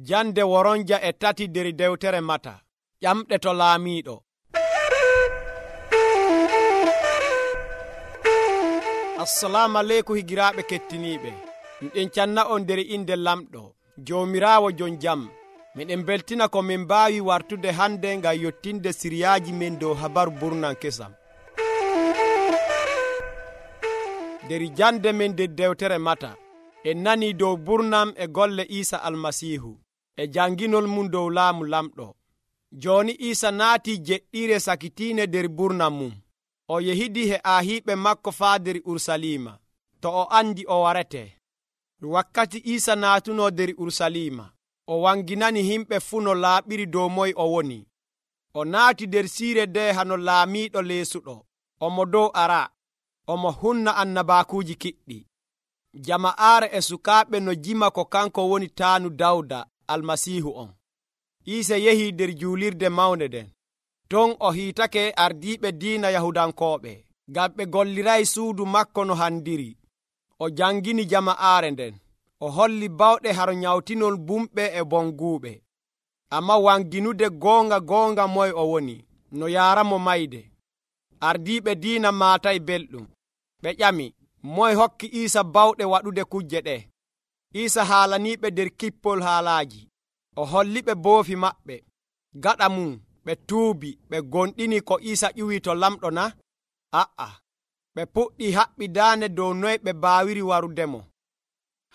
Jande woronja e tati der dewtere Mata. Ƴamɗe to laamiiɗo. Assalamu aleykum higiraaɓe kettiniiɓe. Miɗen canna on nder inde lamɗo Joomiraawo jon jam. Miɗen beltina ko min mbaawi wartude hande ngam yottinde siriyaaji men dow habaru burnan kesam. Der jande men nder dewtere Mata en nani dow burnam e golle Iisa almasiihu e janginol mum dow laamu lamɗo. Joni Iisa naati jeɗɗire sakitiine der burnam mum. O yehidi he aahiɓe makko faa der Urusalima to o andi o warete. Wakkati Iisa naatuno der Urusalima, o wanginani himɓe fuu no laaɓiri dow moy o woni. O naati der siire de hano laamiiɗo leesuɗo, omo dow ara, omo hunna annabaakuuji kiɗɗi. Jama'aare e sukaaɓe no jima ko kanko woni taanu Dawda almasiihu on. Iisa yehi der juulirde mawnde nden. Ton o hiitake ardiiɓe diina Yahudankooɓe, ngam ɓe golliray suudu makko no handiri. O jangini jama'aare nden. O holli bawɗe haro nyawtinol bumɓe e bonguuɓe. Amma wanginude goonga moy o woni, no yaaramo mayde. Ardiiɓe diina maatay belɗum. Ɓe ƴami, moy hokki Iisa bawɗe waɗude kujje ɗe? Iisa haalaniiɓe der kippol haalaaji. O holliɓe boofi maɓɓe. Gaɗa mum ɓe tuubi ɓe gonɗini ko Iisa ƴuwi to lamɗo na? A'a, ɓe puɗɗi haɓɓidaane dow noy ɓe baawiri warudemo.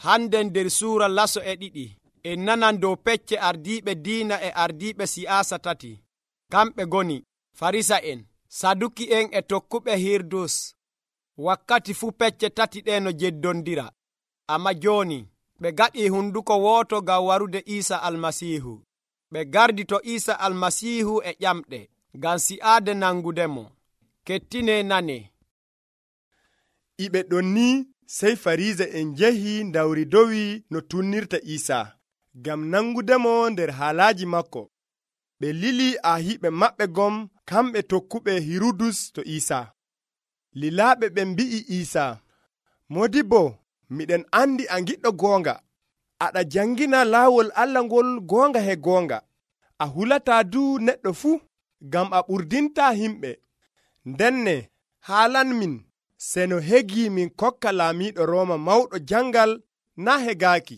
Handen der suura laso e ɗiɗi en nanan dow pecce ardiiɓe diina e ardiiɓe siyaasa tati. Kamɓe goni Farisa'en, Saduki'en e tokkuɓe Hirdus. Wakkati fuu pecce tati ɗe no jeddondira. Amma jooni ɓe gaɗi hunduko wooto ngam warude Iisa almasiihu. Ɓe gardi to Iisa almasiihu e ƴamɗe ngam si'aade nangudemo. Kettine nane. Iɓe ɗon ni sey Farisa'en njehi ndawri dowi no tunnirta Iisa ngam nangudemo nder haalaaji makko. Ɓe lili aahiɓe maɓɓe gom kamɓe tokkuɓe Hirudus to Iisa. Lilaaɓe ɓe mbi'i Iisa, Modibbo, miɗen andi a giɗɗo goonga. Aɗa jangina laawol Allah ngol goonga he goonga. A hulataa du neɗɗo fuu, ngam a ɓurdinta himɓe. Ndenne haalan min seno hegi min kokka laamiiɗo Rooma mawɗo jangal na hegaaki.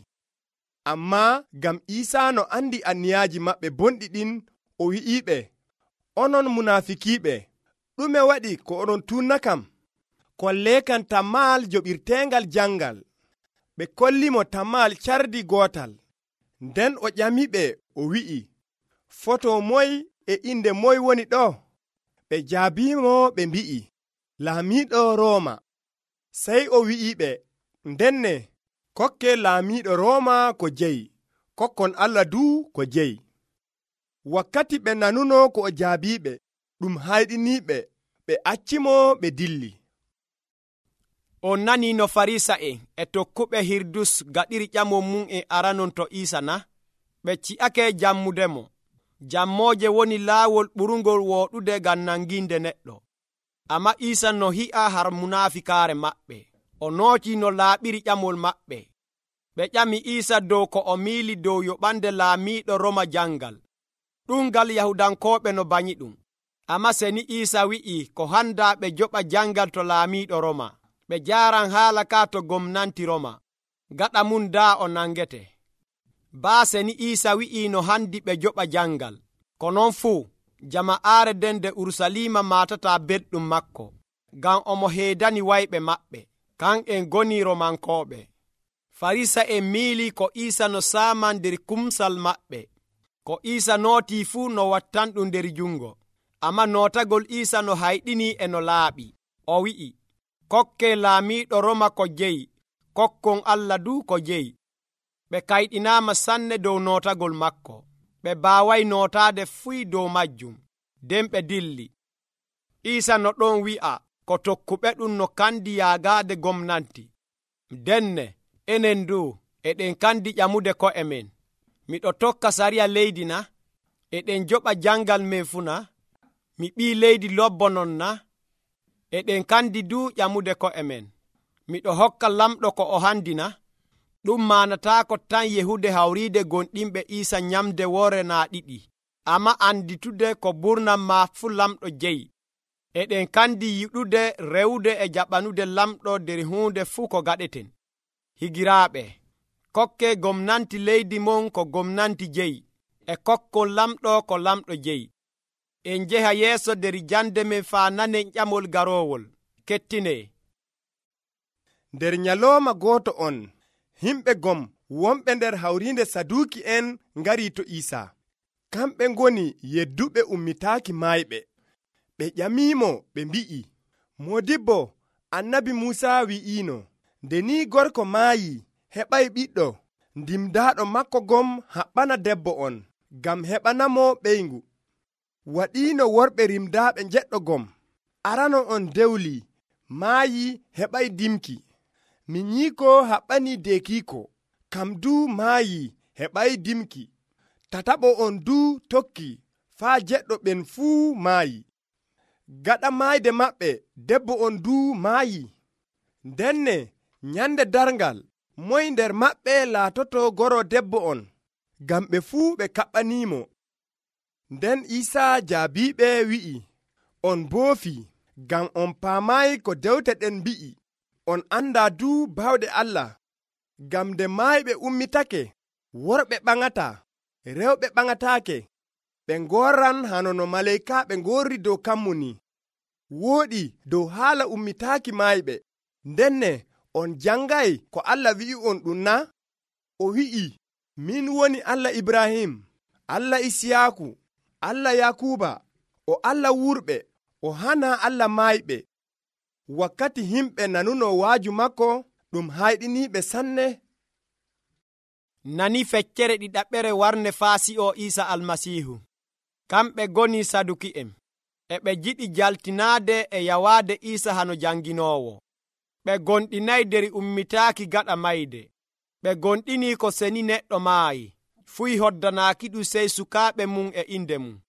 Amma ngam Iisa no andi anniyaaji maɓɓe bonɗi ɗin, o wi'iɓe, onon munaafikiiɓe, ɗume waɗi ko oɗon tunna kam? Kolleekam tammaal joɓirteengal jangal. Ɓe kollimo tammaal cardi gootal. Nden o ƴamiɓe o wi'i, foto moy e inde moy woni ɗo? Ɓe jaabimo ɓe mbi'i, laamiiɗo Rooma. Sey o wi'iɓe, ndenne kokke laamiiɗo Rooma ko jeyi, kokkon Allah du ko jeyi. Wakkati ɓe nanuno ko o jaabiɓe, ɗum hayɗiniiɓe, ɓe accimo ɓe dilli. On nani no Farisa'en e tokkuɓe Hirdus gaɗiri ƴamon mum e aranon to Iisa na? Ɓe ci'ake jammudemo. Jammooje woni laawol ɓurungol wooɗude ngam nanginde neɗɗo. Amma Iisa no hi'a har munaafikaare maɓɓe. O nooti no laaɓiri ƴamol maɓɓe. Ɓe ƴami Iisa dow ko o miili dow yoɓande laamiiɗo Roma jangal. Ɗumgal Yahudankooɓe no banyi ɗum. Amma seni Iisa wi'i ko handa ɓe joɓa jangal to laamiiɗo Roma. Ɓe jaaran haala ka to gomnanti Roma. Gaɗa mum daa o nangete. Baase ni Iisa wi'i no handi ɓe joɓa jangal. Ko non fuu jama'aare den de Urusalima maatata belɗum makko, ngam omo heedani wayɓe maɓɓe, kan'en goni Romankooɓe. Farisa'en miili ko Iisa no saaman nder kumsal maɓɓe. Ko Iisa nootii fuu no wattanɗum nder jungo. Amma nootagol Iisa no hayɗini e no laaɓi. O wi'i, kokke laamiiɗo Roma ko jeyi, kokkon Allah du ko jeyi. Ɓe kayɗinaama sanne dow nootagol makko. Ɓe baaway nootaade fuy dow majjum. Nden ɓe dilli. Iisa no ɗon wi'a ko tokkuɓe ɗum no kandi yaagaade gomnanti. Denne enen du eɗen kandi ƴamude ko'e men. Miɗo tokka sariya leydi na? Eɗen joɓa jangal men fuu na? Mi ɓii leydi lobbonon na? Eɗen kandi du ƴamude ko'e men. Miɗo hokka lamɗo ko o handi na? ɗum manataako tan yehude hawriide gonɗinɓe Iisa nyamde woore naa ɗiɗi, amma anditude ko burnam maa fuu lamɗo jeyi. Eɗen kandi yiɗude rewde e jaɓanude lamɗo nder huunde fuu ko gaɗeten. Higiraaɓe, kokke gomnanti leydi mon ko gomnanti jeyi, e kokkon lamɗo ko lamɗo jeyi. En njeha yeeso nder jande men faa nanen ƴamol garoowol. Kettinee. Nder nyalooma gooto on, himɓe gom wonɓe nder hawriinde Saduuki'en ngari to Iisa. Kamɓe ngoni yedduɓe ummitaaki maayɓe. Ɓe ƴamiimo ɓe mbi'i, Moodibbo, Annabi Muusa wi'iino, nde ni gorko maayi heɓay ɓiɗɗo, ndimdaaɗo makko gom haɓɓana debbo on, ngam heɓanamo ɓeyngu. Waɗiino worɓe rimdaaɓe njeɗɗo gom. Arano on dewli, maayi heɓay dimki. Min nyiiko haɓɓani deekiiko, kam duu maayi heɓay dimki. Tataɓo on duu tokki, faa jeɗɗo ɓen fuu maayi. Gaɗa maayde maɓɓe, debbo on duu maayi. Ndenne nyande darngal, moy nder maɓɓe laatoto goro debbo on, ngam ɓe fuu ɓe kaɓɓaniimo. Nden Iisaa jaabiiɓe wi'i, on boofi, ngam on paamayi ko dewte ɗen mbi'i. On andaa duu bawɗe Allah, ngam nde maayɓe ummitake, worɓe ɓaŋataa, rewɓe ɓaŋataake. Ɓe ngorran hano no maleykaaɓe ngorri dow kammuni. Wooɗi dow haala ummitaaki maayɓe. Ndenne on jangay ko Allah wi'i on ɗum na? O wi'i, min woni Allah Ibrahim, Allah Isiyaaku, Allah Yakuba, o Allah wurɓe, o hana Allah maayɓe. Wakkati himɓe nanuno waaju makko, ɗum hayɗiniiɓe sanne. Nani feccere ɗiɗaɓɓere warne faasi'o Iisa Almasiihu. Kamɓe goni Saduki'en. E ɓe jiɗi jaltinaade e yawaade Iisa hano janginoowo. Ɓe gonɗinay nder ummitaaki gaɗa mayde. Ɓe gonɗini ko seni neɗɗo maayi, fuyi hoddanaaki ɗum sey sukaaɓe mum e inde mum.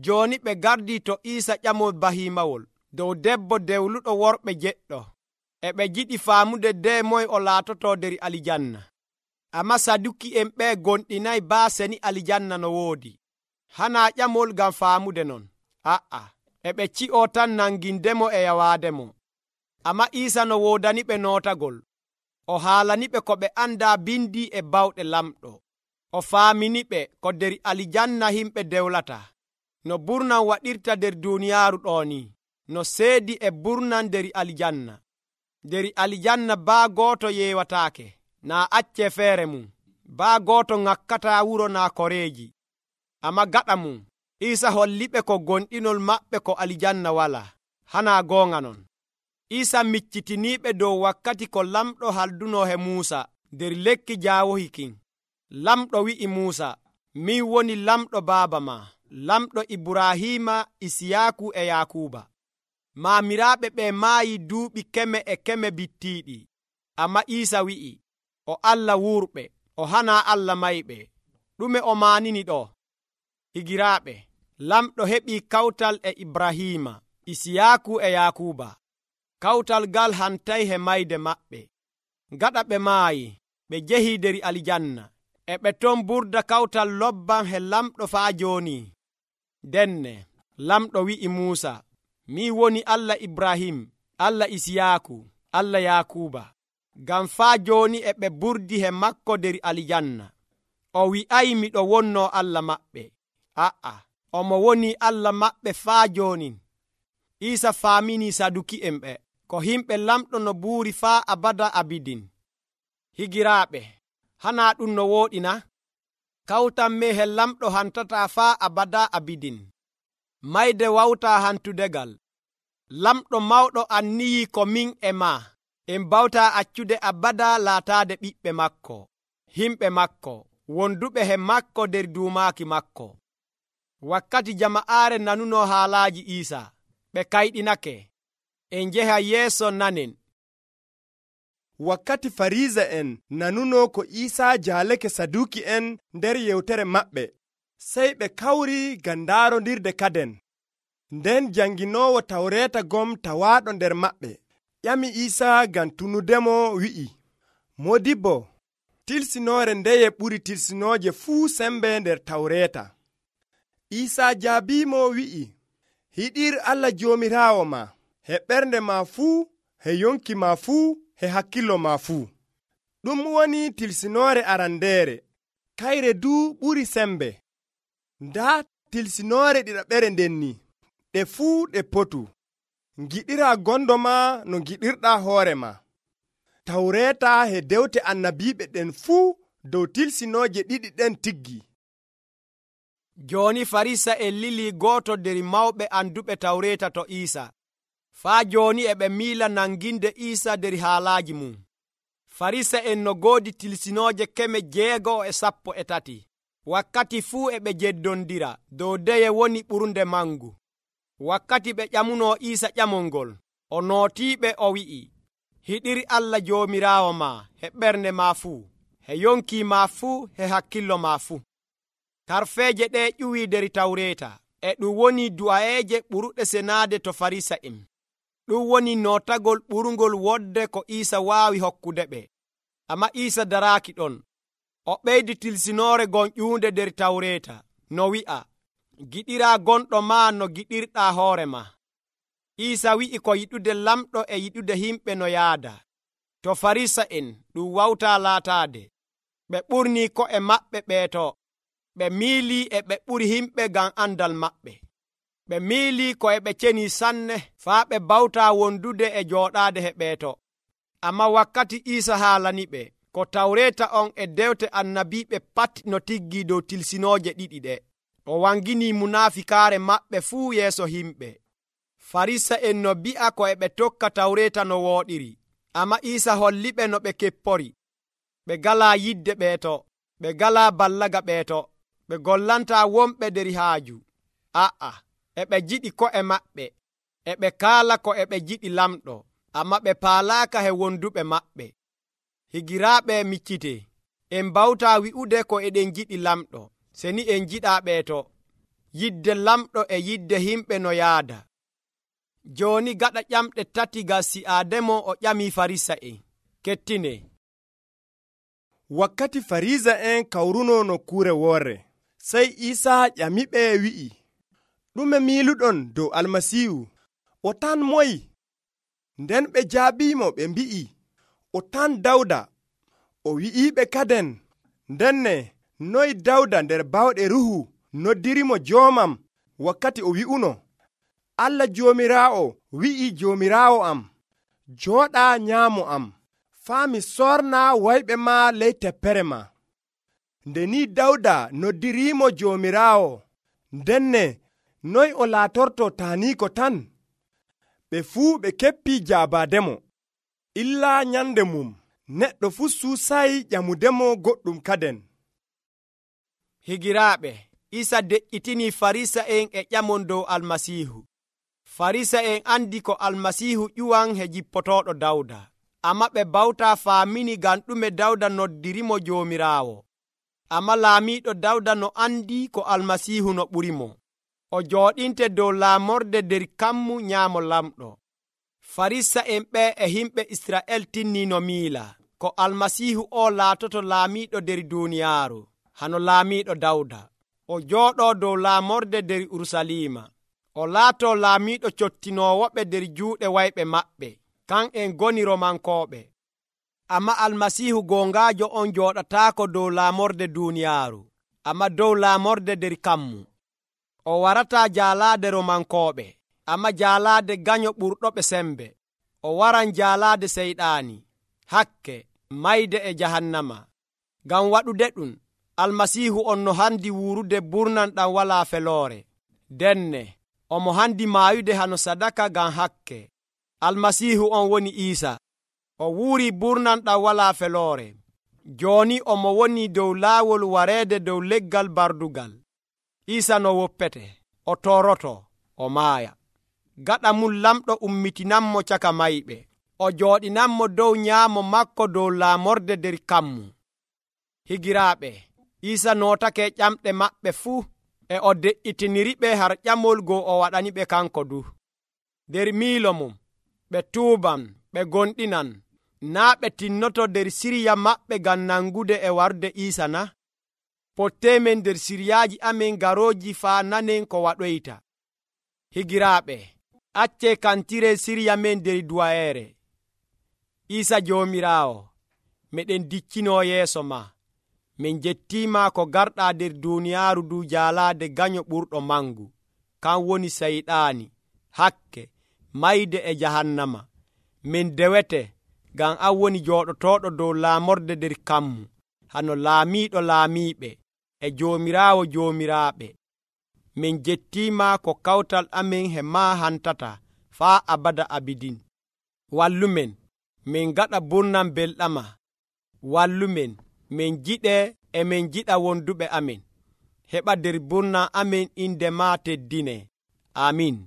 Jooni ɓe gardi to Iisa ƴamol bahiimawol dow debbo dewluɗo worɓe jeɗɗo. E ɓe jiɗi faamude de moy o laatoto nder alijanna. Amma Saduki'en ɓe gonɗinay baa seni alijanna no woodi. Hanaa ƴamol ngam faamude non. A'a, e ɓe ci'o tan nangindemo e yawaademo. Amma Iisa no woodaniɓe nootagol. O haalaniɓe ko ɓe andaa bindi e bawɗe lamɗo. O faaminiɓe ko nder alijanna himɓe dewlata. No burnam waɗirta nder duuniyaaru ɗooni, no seedi e burnam nder alijanna. Nder alijanna baa gooto yeewataake, naa acce feere mum. Baa gooto ŋakkataa wuro naa koreeji. Amma gaɗa mum, Iisa holliɓe ko gonɗinol maɓɓe ko alijanna walaa. Hanaa goonga non. Iisa miccitiniiɓe dow wakkati ko lamɗo halduno he Muusa nder lekki jaawohi kin. Lamɗo wi'i Muusa, min woni lamɗo baaba ma, lamɗo Ibrahiima, Isiyaaku e Yakuba. Maamiraaɓe ɓe maayi duuɓi keme e keme bittiiɗi. Amma Iisa wi'i, o Allah wurɓe, o hanaa Allah mayɓe. Ɗume o maanini ɗo? Higiraaɓe, lamɗo heɓii kawtal e Ibrahiima, Isiyaaku e Yakuba. Kawtal ngal hantay he mayde maɓɓe. Gaɗa ɓe maayi, ɓe jehi nder alijanna. E ɓe ton burda kawtal lobban he lamɗo faa jooni. Denne, lamɗo wi'i Muusa, min woni Allah Ibrahim, Allah Isiyaaku, Allah Yakuba. Ngam faa jooni e ɓe burdi he makko nder alijanna. O wi'ay miɗo wonno Allah maɓɓe. A'a, omo woni Allah maɓɓe faa jooni. Iisa faamini Saduki'en ɓe ko himɓe lamɗo no buuri faa abada abidin. Higiraaɓe, hanaa ɗum no wooɗi na? Kawtan me he lamɗo hantataa faa abada abidin. Mayde wawtaa hantudegal. Lamɗo mawɗo anniyi ko min e maa en bawtaa accude abada laataade ɓiɓɓe makko, himɓe makko, wonduɓe he makko nder duumaaki makko. Wakkati jama'aare nanuno haalaaji Iisa, ɓe kayɗinake. En njeha yeeso nanen. Wakkati Fariisa'en nanuno ko Iisaa jaalake Saduki'en nder yewtere maɓɓe, sey ɓe kawri ngam ndaarondirde kaden. Nden janginoowo Tawreeta gom tawaaɗo nder maɓɓe ƴami Iisaa ngam tunudemo wi'i, Moodibbo, tilsinoore ndeye ɓuri tilsinooje fuu sembe nder tawreeta. Iisaa jaabiimo wi'i, hiɗir Allah Joomiraawo ma he ɓernde ma fuu, he yonki ma fuu, he hakkillo ma fuu. Ɗum woni tilsinoore arandeere, kayre duu ɓuri sembe. Ndaa tilsinoore ɗiɗaɓere ndenni, ɗe fuu ɗe potu. Ngiɗira gondo ma no ngiɗirɗaa hoore ma. Tawreeta he dewte annabiiɓe ɗen fuu dow tilsinooje ɗiɗi ɗen tiggi. Jooni Farisa'en lili gooto nder mawɓe anduɓe tawreeta to Iisa. Faa jooni e ɓe miila nanginde Iisa nder haalaaji mum. Farisa'en no goodi tilsinooje 613. Wakkati fuu e ɓe jeddondira dow deye woni ɓurnde mangu. Wakkati ɓe ƴamunoo Iisa ƴamol ngol, o nootiiɓe o wi'i, hiɗir Allah Joomiraawo ma he ɓernde ma fuu, he yonki ma fuu, he hakkillo ma fuu. Tarfeeje ɗe ƴuwii nder tawreeta, e ɗum woni du'aeeje ɓuruɗe senaade to Farisa'en. Ɗum woni nootagol ɓurngol wodde ko Iisa waawi hokkude ɓe. Amma Iisa daraaki ɗon. O ɓeydi tilsinoore gon ƴuunde nder tawreeta, no wi'a, giɗiraa gonɗo ma no giɗirɗaa hoore ma. Iisa wi'i ko yiɗude lamɗo e yiɗude himɓe no yaada. To Farisa'en ɗum wawtaa laataade. Ɓe ɓurnii ko'e maɓɓe ɓeeto. Ɓe miilii e ɓe ɓuri himɓe ngam andal maɓɓe. Ɓe miilii ko e ɓe cenii sanne faa ɓe bawtaa wondude e jooɗaade he ɓeeto. Amma wakkati Iisa haalani ɓe ko tawreeta on e dewte annabiiɓe pat no tiggii dow tilsinooje ɗiɗi ɗe, o wanginii munaafikaare maɓɓe fuu yeeso himɓe. Farisa'en no bi'a ko e ɓe tokka tawreeta no wooɗiri. Amma Iisa holliɓe no ɓe keppori. Ɓe galaa yidde ɓeeto. Ɓe galaa ballaga ɓeeto. Ɓe gollantaa wonɓe nder haaju. E ɓe jiɗi ko'e maɓɓe. E ɓe kaala ko e ɓe jiɗi lamɗo. Amma ɓe paalaaka he wonduɓe maɓɓe. Higiraaɓe miccite. En bawtaa wi'ude ko eɗen jiɗi lamɗo, seni en jiɗaa ɓeeto. Yidde lamɗo e yidde himɓe no yaada. Jooni gaɗa ƴamɗe 3 Gasi'aademo o ƴamii Farisa'en. Kettine. Wakkati Farisa'en kawruno nokkuure woorre, sey Iisaa ƴamiɓe wi'i, ɗume miiluɗon dow Almasiihu? O tan moyi? Nden ɓe jaabiimo ɓe mbi'i, o tan Dawda. O wi'iiɓe kaden, ndenne noy Dawda nder bawɗe Ruhu noddirimo joomam wakkati o wi'uno, Allah Joomiraawo wi'i Joomiraawo am, jooɗaa nyaamo am, faa mi sorna wayɓe ma ley teppere ma. Nde ni Dawda noddiriimo Joomiraawo, ndenne noy o laatorto taaniiko tan? Ɓe fuu ɓe keppii jaabaademo. Illaa nyande mum, neɗɗo fuu suusay ƴamudemo goɗɗum kaden. Higiraaɓe, Iisa deƴƴitinii Farisa'en e ƴamon dow Almasiihu. Farisa'en andi ko Almasiihu ƴuwan he jippotooɗo Dawda. Amma ɓe bawtaa faamini ngam ɗume Dawda noddirimo Joomiraawo. Amma laamiiɗo Dawda no andi ko Almasiihu no ɓurimo. O jooɗinte dow laamorde nder kammu nyaamo lamɗo. Farisa'en ɓe e himɓe Isra'el tinnii no miila ko Almasiihu o laatoto laamiiɗo nder duuniyaaru, hano laamiiɗo Dawda. O jooɗoo dow laamorde nder Urusalima. O laatoo laamiiɗo cottinoowoɓe nder juuɗe wayɓe maɓɓe, kan en goni Romankooɓe. Amma Almasiihu goongaajo on jooɗataako dow laamorde duuniyaaru, amma dow laamorde nder kammu. O warataa jaalaade Romankooɓe, amma jaalaade ganyo ɓurɗoɓe sembe. O waran jaalaade seyɗaani, hakke, mayde e jahannama. Ngam waɗude ɗum, Almasiihu on no handi wuurude burnan ɗam walaa feloore. Denne, omo handi maayude hano sadaka ngam hakke. Almasiihu on woni Iisa. O wuuri burnan ɗam walaa feloore. Jooni omo woni dow laawol wareede dow leggal bardugal. Iisa no woppete, o tooroto, o maaya. Gaɗa mum lamɗo ummitinanmo caka mayɓe. O jooɗinanmo dow nyaamo makko dow laamorde nder kammu. Higiraaɓe, Iisa nootake ƴamɗe maɓɓe fuu, e o de'itiniриɓe har ƴamol go o waɗani ɓe kanko du. Nder miilo mum, ɓe tuuban, ɓe gonɗinan, naa ɓe tinnoto nder siriya maɓɓe ngam nangude e warde Iisa na? Potteemen nder siryaaji amen garooji faa nanen ko waɗoyta. Higiraaɓe, accee kantire sirya men nder duwayeere. Iisa Joomiraawo, meɗen diccinoo yeeso ma. Min jettiima ko garɗaa nder duuniyaaru ndu jaalaade ganyo ɓurɗo mangu, kan woni sayɗaani, hakke, mayde e jahannama. Min dewete ngam an woni jooɗotooɗo dow laamorde nder kammu, hano laamiiɗo laamiiɓe e Joomiraawo joomiraaɓe. Min jettiima ko kawtal amen he maa hantata faa abada abidin. Wallumen, min gaɗa burnam belɗama. Wallumen, min jiɗee e min jiɗa wonduɓe amen. Heɓa nder burnam amen inde maa teddinee. Amiin.